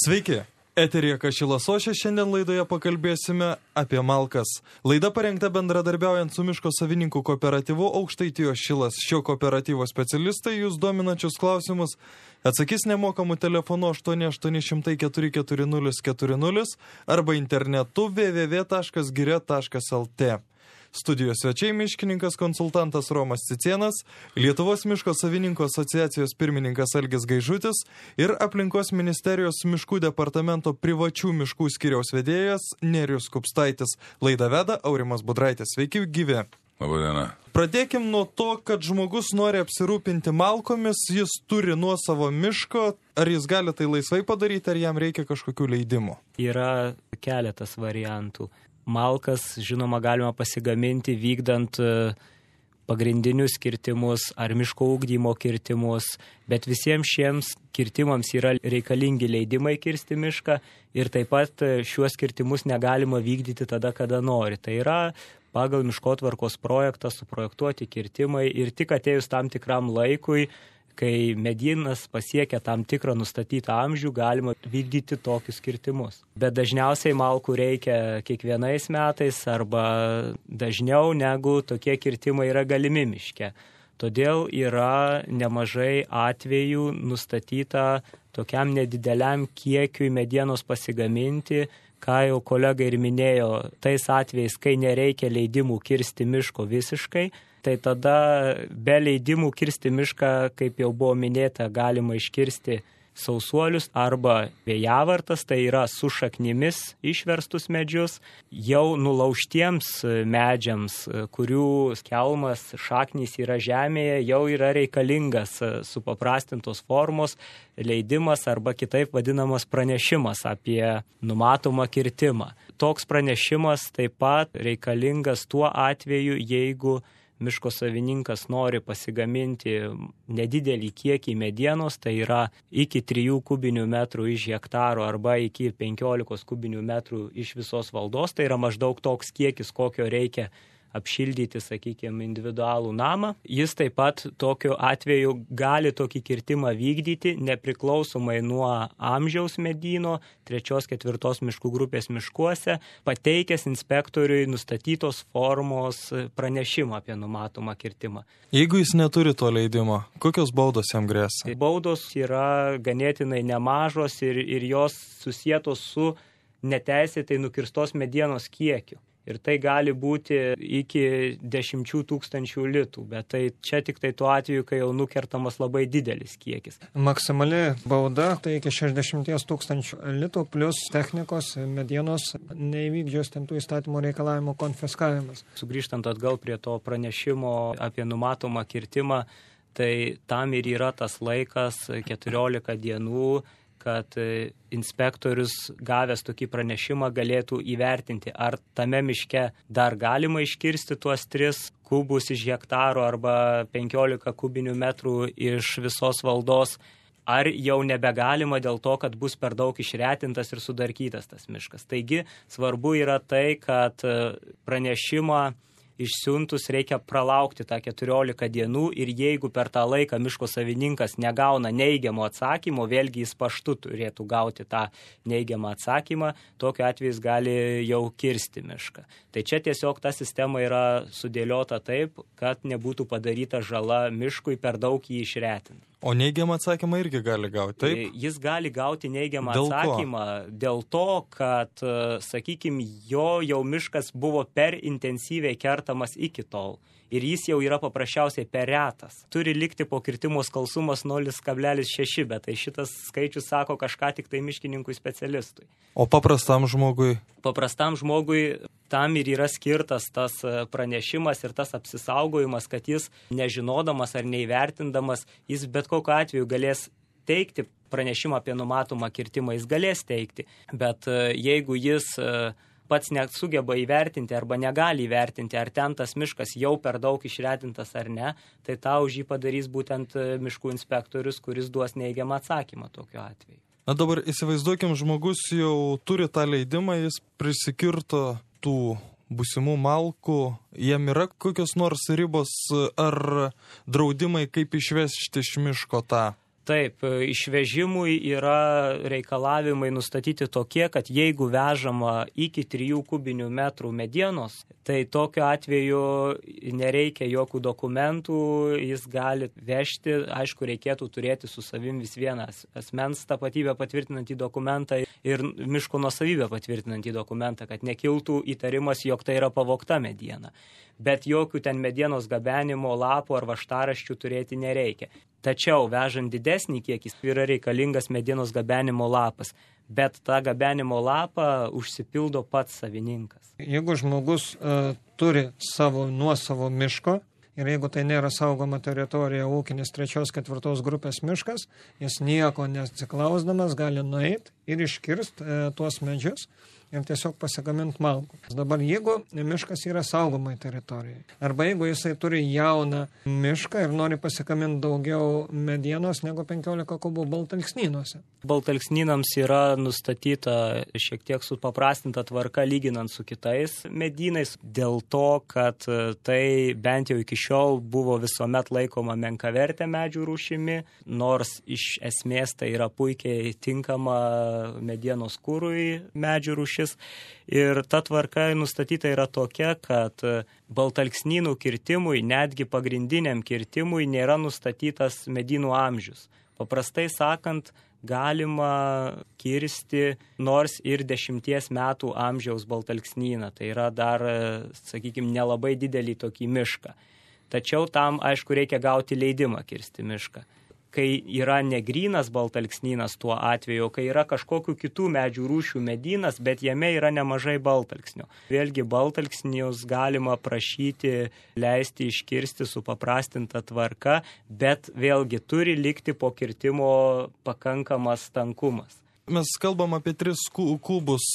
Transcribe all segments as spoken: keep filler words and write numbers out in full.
Sveiki, eteryje Kašilas Ošė, šiandien laidoje pakalbėsime apie malkas. Laida parengta bendradarbiaujant su miško savininkų kooperatyvu Aukštaitijos Šilas. Šio kooperatyvo specialistai jūs dominančius klausimus atsakys nemokamų telefonu aštuoni aštuoni šimtai keturi keturi nulis keturi nulis arba internetu w w w taškas giria taškas l t. Studijos svečiai miškininkas konsultantas Romas Cicėnas, Lietuvos miško savininkų asociacijos pirmininkas Algis Gaižutis ir aplinkos ministerijos miškų departamento privačių miškų skyriaus vedėjas Nerijus Kupstaitis. Laidą veda Aurimas Budraitis. Sveiki, gyvi. Labadiena. Pradėkim nuo to, kad žmogus nori apsirūpinti malkomis, jis turi nuosavo miško. Ar jis gali tai laisvai padaryti, ar jam reikia kažkokių leidimų? Yra keletas variantų. Malkas, žinoma, galima pasigaminti vykdant pagrindinius kirtimus ar miško ugdymo kirtimus, bet visiems šiems kirtimams yra reikalingi leidimai kirsti mišką ir taip pat šiuos kirtimus negalima vykdyti tada, kada nori. Tai yra pagal miškotvarkos projektą suprojektuoti kirtimai ir tik atėjus tam tikram laikui, kai medynas pasiekia tam tikrą nustatytą amžių, galima vykdyti tokius kirtimus. Bet dažniausiai malkų reikia kiekvienais metais arba dažniau negu tokie kirtimai yra galimi miške. Todėl yra nemažai atvejų nustatyta tokiam nedideliam kiekiui medienos pasigaminti, ką jau kolega ir minėjo, tais atvejais, kai nereikia leidimų kirsti miško visiškai, tai tada be leidimų kirsti mišką, kaip jau buvo minėta, galima iškirsti sausuolius arba vėjavartas, tai yra su šaknimis išverstus medžius, jau nulaužtiems medžiams, kurių skelmas šaknys yra žemėje, jau yra reikalingas supaprastintos formos leidimas arba kitaip vadinamas pranešimas apie numatomą kirtimą. Toks pranešimas taip pat reikalingas tuo atveju, jeigu miško savininkas nori pasigaminti nedidelį kiekį medienos, tai yra iki trijų kubinių metrų iš hektaro arba iki penkiolikos kubinių metrų iš visos valdos, tai yra maždaug toks kiekis, kokio reikia apšildyti, sakykime, individualų namą. Jis taip pat tokiu atveju gali tokį kirtimą vykdyti nepriklausomai nuo amžiaus medyno, trečios, ketvirtos miškų grupės miškuose, pateikęs inspektoriui nustatytos formos pranešimą apie numatomą kirtimą. Jeigu jis neturi to leidimo, kokios baudos jam grėsia? Baudos yra ganėtinai nemažos ir, ir jos susietos su neteisėtai nukirstos medienos kiekiu. Ir tai gali būti iki dešimčių tūkstančių litų, bet tai čia tik tai tuo atveju, kai jau nukertamas labai didelis kiekis. Maksimali bauda tai iki šešiasdešimt tūkstančių litų plus technikos medienos neįvykdžius tų įstatymų reikalavimų konfiskavimas. Sugrįžtant atgal prie to pranešimo apie numatomą kirtimą, tai tam ir yra tas laikas keturiolika dienų, kad inspektorius gavęs tokį pranešimą galėtų įvertinti, ar tame miške dar galima iškirsti tuos tris kubus iš hektaro arba penkiolika kubinių metrų iš visos valdos, ar jau nebegalima dėl to, kad bus per daug išretintas ir sudarkytas tas miškas. Taigi svarbu yra tai, kad pranešimą išsiuntus reikia pralaukti tą keturiolika dienų ir jeigu per tą laiką miško savininkas negauna neigiamo atsakymo, vėlgi jis paštu turėtų gauti tą neigiamą atsakymą, tokiu atveju jis gali jau kirsti mišką. Tai čia tiesiog ta sistema yra sudėliota taip, kad nebūtų padaryta žala miškui per daug jį išretinti. O neigiamą atsakymą irgi gali gauti, taip? Jis gali gauti neigiamą dėl atsakymą ko? Dėl to, kad, sakykime, jo jau miškas buvo per intensyviai kertamas iki tol. Ir jis jau yra paprasčiausiai per retas. Turi likti po kirtimo skalsumas nulis kablelis šeši, bet tai šitas skaičius sako kažką tik tai miškininkui specialistui. O paprastam žmogui? Paprastam žmogui tam ir yra skirtas tas pranešimas ir tas apsisaugojimas, kad jis nežinodamas ar neįvertindamas, jis bet kokiu atveju galės teikti pranešimą apie numatomą kirtimą, jis galės teikti. Bet jeigu jis pats nesugeba įvertinti arba negali įvertinti, ar ten tas miškas jau per daug išretintas ar ne, tai tą už jį padarys būtent miškų inspektorius, kuris duos neigiamą atsakymą tokiu atveju. Na dabar įsivaizduokim, žmogus jau turi tą leidimą, jis prisikirto tų būsimų malkų, jiem yra kokios nors ribos ar draudimai, kaip išvežti iš miško tą Taip, išvežimui yra reikalavimai nustatyti tokie, kad jeigu vežama iki trijų kubinių metrų medienos, tai tokiu atveju nereikia jokių dokumentų, jis gali vežti, aišku, reikėtų turėti su savim vis vienas asmens tapatybę patvirtinantį dokumentą ir miško nuosavybę patvirtinantį dokumentą, kad nekiltų įtarimas, jog tai yra pavogta mediena. Bet jokių ten medienos gabenimo lapų ar vaštaraščių turėti nereikia. Tačiau vežant didesnį kiekį yra reikalingas medienos gabenimo lapas, bet tą gabenimo lapą užsipildo pats savininkas. Jeigu žmogus uh, turi savo nuosavo miško ir jeigu tai nėra saugoma teritorija, ūkinis trečios, ketvirtos grupės miškas, jis nieko neatsiklausdamas gali nueiti ir iškirst uh, tuos medžius ir tiesiog pasigamint malkų. Dabar jeigu miškas yra saugomai teritorijai, arba jeigu jisai turi jauną mišką ir nori pasigaminti daugiau medienos negu penkiolika kubų baltalksnynuose. Baltalksnynams yra nustatyta šiek tiek supaprastinta tvarka lyginant su kitais medynais, dėl to, kad tai bent jau iki šiol buvo visuomet laikoma menkavertė medžių rūšimi, nors iš esmės tai yra puikiai tinkama medienos kūrui medžių rūšis. Ir ta tvarka nustatyta yra tokia, kad baltalksnynų kirtimui, netgi pagrindiniam kirtimui, nėra nustatytas medynų amžius. Paprastai sakant, galima kirsti nors ir dešimties metų amžiaus baltalksnyną. Tai yra dar, sakykime, nelabai didelį tokį mišką. Tačiau tam, aišku, reikia gauti leidimą kirsti mišką. Kai yra negrynas baltalksnynas tuo atveju, kai yra kažkokių kitų medžių rūšių medynas, bet jame yra nemažai baltalksnio. Vėlgi baltalksnius galima prašyti leisti iškirsti su paprastinta tvarka, bet vėlgi turi likti po kirtimo pakankamas tankumas. Mes kalbam apie tris kubus.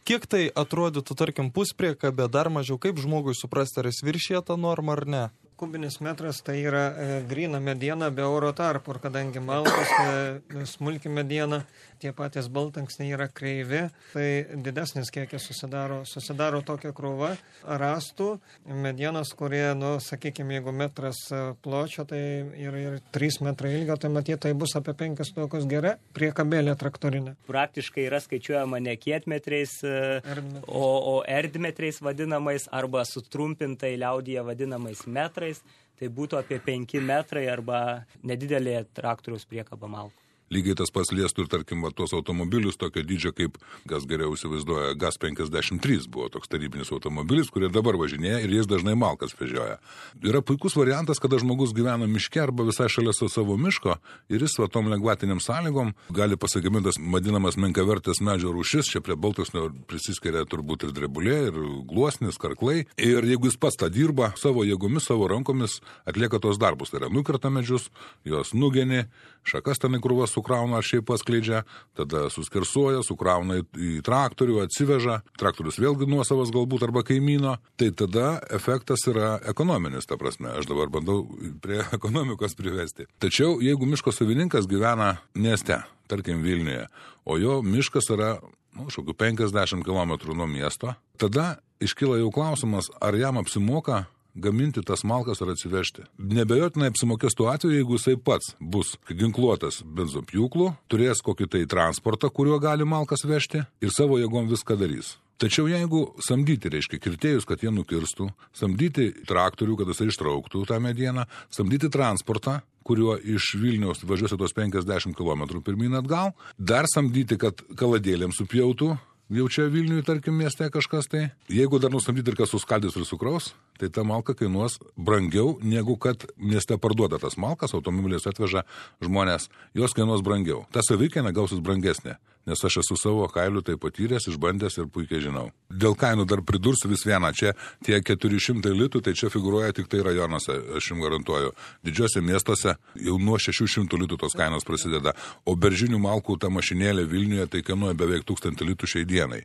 Kiek tai atrodytų, tarkim, puspriekabė, dar mažiau, kaip žmogui suprasti, ar jis viršija tą normą ar ne? Kubinis metras tai yra e, gryna mediena be oro tarpų, ir kadangi malkos, e, smulki mediena, tie patys baltalksniai yra kreivi, tai didesnis kiekis susidaro, susidaro tokia krūva rastų medienos, kurie, nu, sakykime, jeigu metras pločio, tai yra ir trys metrai ilgio, tai matyt, tai bus apie penkis tokius gera priekabėlė traktorinė. Praktiškai yra skaičiuojama ne kietmetriais, Erdmetrais. o, o erdmetriais vadinamais arba sutrumpintai liaudyje vadinamais metrais. Tai būtų apie penki metrai arba nedidelė traktoriaus priekaba malkų. Lygiai tas pats liestų ir, tarkim, va, tuos automobilius tokio dydžio, kaip, kas geriau įsivaizduoja, GAZ penkiasdešimt trys buvo toks tarybinis automobilis, kurie dabar važinėja ir jais dažnai malkas vežioja. Yra puikus variantas, kada žmogus gyvena miške arba visai šalia savo miško ir jis va tom lengvatiniam sąlygom gali pasigamintas vadinamas menkavertės medžio rūšis, čia prie baltalksnio prisiskiria turbūt ir drebulė, ir gluosnis, karklai. Ir jeigu jis pats tą dirba savo jėgomis, savo rankomis, atlieka tos darbus, tai yra nukerta medžius, jos nugeni, šakas ten į krūvas sukrauna ar šiaip paskleidžia, tada suskersuoja, sukrauna į traktorių, atsiveža, traktorius vėlgi nuosavas galbūt arba kaimyno, tai tada efektas yra ekonominis, ta prasme, aš dabar bandau prie ekonomikos privesti. Tačiau jeigu miško savininkas gyvena mieste, tarkim Vilniuje, o jo miškas yra, nu, šokių penkiasdešimt kilometrų nuo miesto, tada iškyla jau klausimas, ar jam apsimoka gaminti tas malkas ar atsivežti. Nebejotinai apsimokės tuo atveju, jeigu jisai pats bus ginkluotas benzopjūklu, turės kokį tai transportą, kuriuo gali malkas vežti ir savo jėgom viską darys. Tačiau jeigu samdyti, reiškia, kirtėjus, kad jie nukirstų, samdyti traktorių, kad jisai ištrauktų tą medieną, samdyti transportą, kuriuo iš Vilniaus važiuosi tos penkiasdešimt kilometrų pirmyn atgal, dar samdyti, kad kaladėlėm supjautų, jau čia Vilniuje, tarkim, mieste kažkas tai. Jeigu dar nusamdyti ir kas suskaldys ir sukraus, tai ta malka kainuos brangiau, negu kad mieste parduoda tas malkas, automobiliais atveža žmonės, jos kainuos brangiau. Ta savikaina gausis brangesnė, nes aš esu savo kailiu tai patyręs, išbandęs ir puikiai žinau. Dėl kainų dar pridursiu vis vieną, čia tie keturi šimtai litų, tai čia figūruoja tik tai rajonuose, aš jums garantuoju. Didžiuose miestuose jau nuo šešių šimtų litų tos kainos prasideda, o beržinių malkų ta mašinėlė Vilniuje tai kainuoja beveik tūkstantį litų šiai dienai.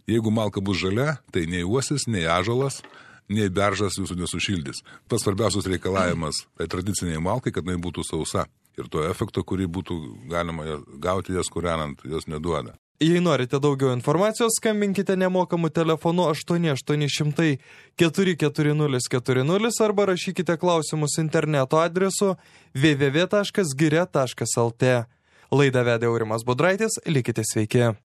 Jeigu malka bus žalia, tai nei uosis, nei ąžuolas, nei beržas jūsų nesušildys. Pats svarbiausias reikalavimas tai tradiciniai malkai, kad jinai būtų sausa. Ir to efekto, kurį būtų galima gauti jas kūrenant, jos neduoda. Jei norite daugiau informacijos, skambinkite nemokamu telefonu aštuoni aštuoni šimtai keturi keturi nulis keturi nulis arba rašykite klausimus interneto adresu w w w taškas giria taškas l t. Laidą vedė Aurimas Budraitis, likite sveiki.